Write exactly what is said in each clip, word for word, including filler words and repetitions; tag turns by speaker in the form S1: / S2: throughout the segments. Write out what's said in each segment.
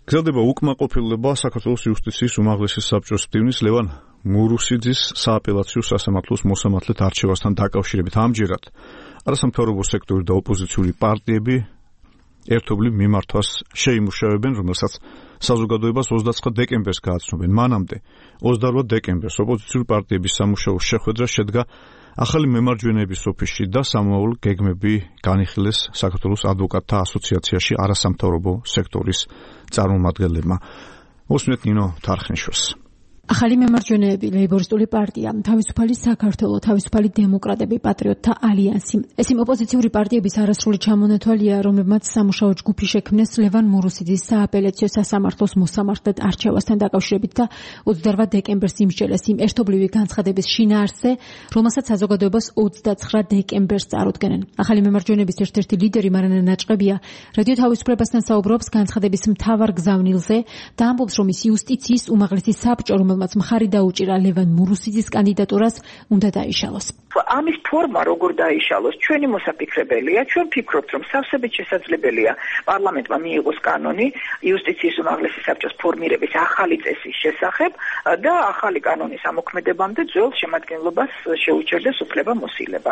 S1: გრძელდება უკმაყოფილება საქართველოს იუსტიციის უმაღლესი საბჭოს მდივნის ლევან მურუსიძის სააპელაციო სასამართლოს მოსამართლედ არჩევასთან დაკავშირებით. ამჯერად არასამთავრობო სექტორი და ოპოზიციური პარტიები ერთობლივ მიმართვას შეიმუშავებენ, რომელსაც საზოგადოებას ოცდაცხრა დეკემბერს გააცნობენ. მანამდე ოცდაორ დეკემბერს ოპოზიციური პარტიების სამუშაო შეხვედრა შედგა ახალი მემარჯვენეების ოფისში და სამოვალ გეგმები განიხილეს საქართველოს ადვოკატთა ასოციაციაში არასამთავრობო სექტორის წარმომადგენლებმა. მოსმენთ ნინო თარხნიშვილს.
S2: ახალი მემარჯვენეები, ლეიბორისტული პარტია, თავისუფალი საქართველო, თავისუფალი დემოკრატები, პატრიოტთა ალიანსი. ეს იმ ოპოზიციური პარტიების არასრული ჩამონათვალია, რომლებმაც სამუშაო ჯგუფი შექმნეს ლევან მურუსიძის სააპელაციო სასამართლოს მოსამართლედ არჩევასთან დაკავშირებით და ოცდაორ დეკემბერს იმსჯელეს იმ ერთობლივი განცხადების შინაარსზე, რომელსაც საზოგადოებას ოცდაცხრა დეკემბერს წარუდგენენ. ახალი მემარჯვენეების ერთ-ერთი ლიდერი მარანა ნაჭყებია რადიო თავისუფლებასთან საუბრობს განცხადების მთავარ გზავნილზე და ამბობს, რომ ის იუსტიციის უმაღლესი საბჭო, რომელმაც მხარი დაუჭირა ლევან მურუსიძის კანდიდატურას, უნდა დაიშალოს.
S3: ამის ფორმა როგორ დაიშალოს, ჩვენი მოსაფიქრებელია, ჩვენ ფიქრობთ, რომ სავსებით შესაძლებელია პარლამენტმა მიიღოს კანონი იუსტიციის უმაღლესი საბჭოს ფორმირების ახალი წესის შესახებ და ახალი კანონის ამოქმედებამდე ძველ შემადგენლობას შეუჩერდეს უფლება მოსილება.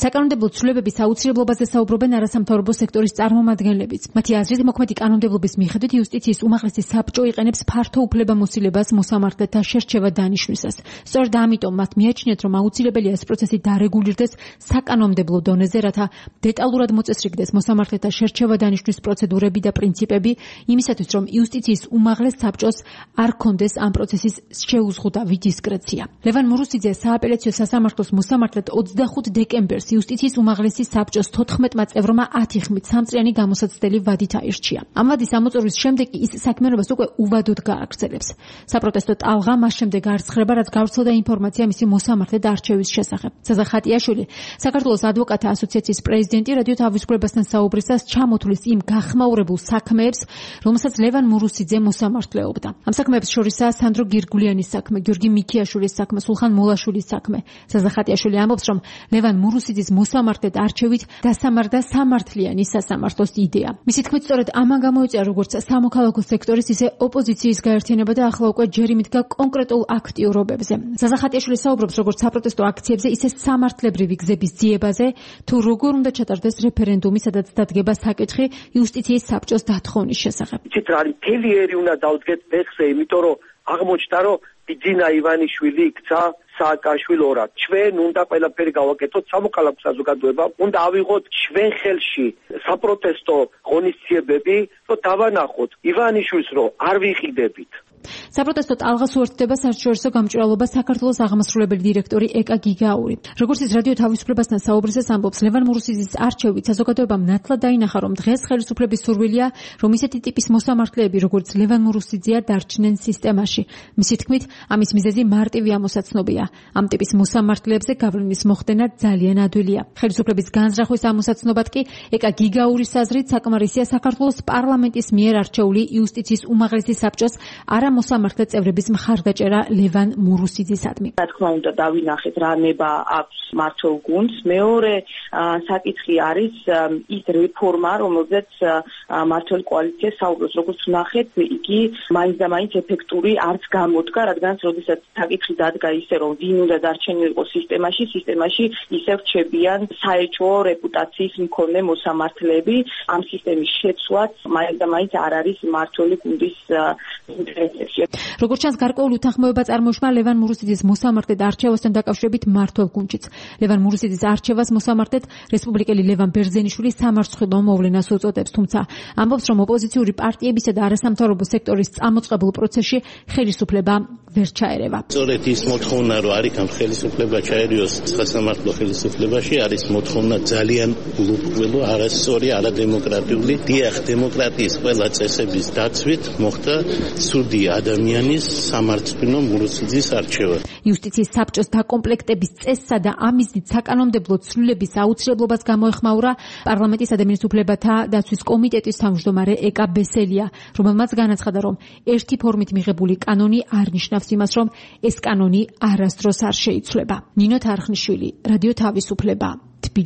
S2: საკანონმდებლო ცვლილებების აუცილებლობაზე საუბრობენ არასამთავრობო სექტორის წარმომადგენლებიც. მათი აზრით, მოქმედი კანონმდებლობის მიხედვით იუსტიციის უმაღლესი საბჭო იყენებს ფართო უფლებამოსილებას მოსამართლეთა შერჩევა დანიშვნისას. სწორედ ამიტომ მათ მიაჩნიათ, რომ აუცილებელია ეს პროცესი დარეგულირდეს საკანონმდებლო დონეზე, რათა დეტალურად მოწესრიგდეს მოსამართლეთა შერჩევა დანიშვნის პროცედურები და პრინციპები, იმისათვის, რომ იუსტიციის უმაღლეს საბჭოს არ ქონდეს ამ პროცესის შეუზღუდავი დისკრეცია. ლევან მურუსიძე სააპელაციო სასამართლოს მოსამართლედ ოცდახუთ დეკემბერს იუსტიციის უმაღლესი საბჭოს თოთხმეტმა წევრმა ათი ხმით სამწლიანი გამოსაცდელი ვადით აირჩია. ამ ვადის ამოწურვის შემდეგ ის საქმიანობას უკვე უვადოდ გააგრძელებს. საპროტესტო ტალღა მას შემდეგ არცხრება, რაც გავრცელდა ინფორმაცია მისი მოსამართლედ არჩევის შესახებ. ზაზა ხატიაშვილი, საქართველოს ადვოკატთა ასოციაციის პრეზიდენტი, რადიო თავისუფლებასთან საუბრისას ჩამოთვლის იმ გახმაურებულ საქმეებს, რომელსაც ლევან მურუსიძე მოსამართლეობდა. ამ საქმეებს შორისაა სანდრო გირგულიანის საქმე, გიორგი მიქიაშვილის საქმე, სულხან მოლაშვილის საქმე. ზაზა ხატიაშვილი ამბობს, რომ ლევან მურუსიძის მოსამართლედ არჩევით დასამარდა სამართლიანი სასამართლოს იდეა. მისი თქმით, სწორედ ამან გამოიწვია როგორც სამოქალაქო სექტორის, ისე ოპოზიციის გაერთიანება და ახლა უკვე ჯერ იმიდგა კონკრეტულ აქტიურობებზე. ზაზა ხატიაშვილი საუბრობს როგორც საპროტესტო აქციებზე, ისე სამართლებრივი გზების ძიებაზე, თუ როგორ უნდა ჩატარდეს რეფერენდუმი, სადაც დადგება საკითხი იუსტიციის საბჭოს დათხოვნის შესახებ.
S4: იცით რა არის, მთელი ერი უნდა დავდგეთ ფეხზე, იმიტომ რომ აღმოჩნდა, რომ ბიძინა ივანიშვილი იქცა სააკაშვილორად. ჩვენ უნდა ყველაფერი გავაკეთოთ სამოქალაქო საზოგადოებამ, უნდა ავიღოთ ჩვენ ხელში საპროტესტო ღონისძიებები, რომ დავანახოთ ივანიშვილს, რომ არ ვიყიდებით.
S2: საპროტესტო ტალღას უერთდება საერთაშორისო გამჭვირვალობა საქართველოს აღმასრულებელი დირექტორი ეკა გიგაური. როგორც ის რადიო თავისუფლებასთან საუბრისას ამბობს, ლევან მურუსიძის არჩევით საზოგადოებამ ნათლად დაინახა, რომ დღეს ხელისუფლების სურვილია, რომ ისეთი ტიპის მოსამართლეები, როგორც ლევან მურუსიძეა, დარჩნენ სისტემაში. მისი თქმით, ამის მიზეზი მარტივი ამოსაცნობია. ამ ტიპის მოსამართლეებზე გავლენის მოხდენა ძალიან ადვილია. ხელისუფლების განზრახვის ამოსაცნობად კი ეკა გიგაურის აზრით საკმარისია საქართველოს პარლამენტის მიერ არჩეული იუსტიციის უმაღლესი საბჭოს არა მოსამართლე წევრების მხარდაჭერა ლევან მურუსიძისადმი.
S5: რა თქმა უნდა დავინახეთ რა ნება აქვს მართლ გუნდს. მეორე საკითხი არის ის რეფორმა, რომელზეც მართლ კოალიცია საუბრობს. როგორც ვნახეთ, იგი მაინც და მაინც ეფექტური არც გამოდგა, რადგან როდესაც საკითხი დადგა ისე, რომ ვინ უნდა დარჩენილიყო სისტემაში, სისტემაში ისევ რჩებიან საეჭვო რეპუტაციის მქონე მოსამართლეები. ამ სისტემის შეცვლაც მაინც და მაინც არ არის მართლ გუნდის ინტერესში.
S2: როგორც ჩანს, გარკვეულ უთანხმოება წარმოიშვა ლევან მურუსიძის მოსამართლედ არჩევასთან დაკავშირებით მმართველ გუნდშიც. ლევან მურუსიძის არჩევას მოსამართლედ რესპუბლიკელი ლევან ბერძენიშვილი სამარცხვინო მოვლენას უწოდებს, თუმცა ამბობს, რომ ოპოზიციური პარტიებისა და არასამთავრობო სექტორის წამოწყებულ პროცესში ხელისუფლება ვერ ჩაერევა.
S6: სწორედ ის მოთხოვნა, რომ არიქამ ხელისუფლება ჩაერიოს სასამართლო ხელისუფლებაში, არის მოთხოვნა ძალიან გულუბრყვილო, არასწორი, არადემოკრატიული. დიახ, დემოკრატიის ყველა წესების დაცვით მოხდა სუდი ადამიანის სამარცხვინო მურუსიძის არჩევა.
S2: იუსტიციის საბჭოს დაკომპლექტების წესსა და ამისით საკანონმდებლო ცვლილების აუცილებლობას გამოეხმაურა პარლამენტის ადამიანის უფლებათა დაცვის კომიტეტის თავმჯდომარე ეკა ბესელია, რომელმაც განაცხადა, რომ ერთი ფორმით მიღებული კანონი არ ნიშნავს იმას, რომ ეს კანონი არასდროს არ შეიცვლება. ნინო თარხნიშვილი, რადიო თავისუფლება.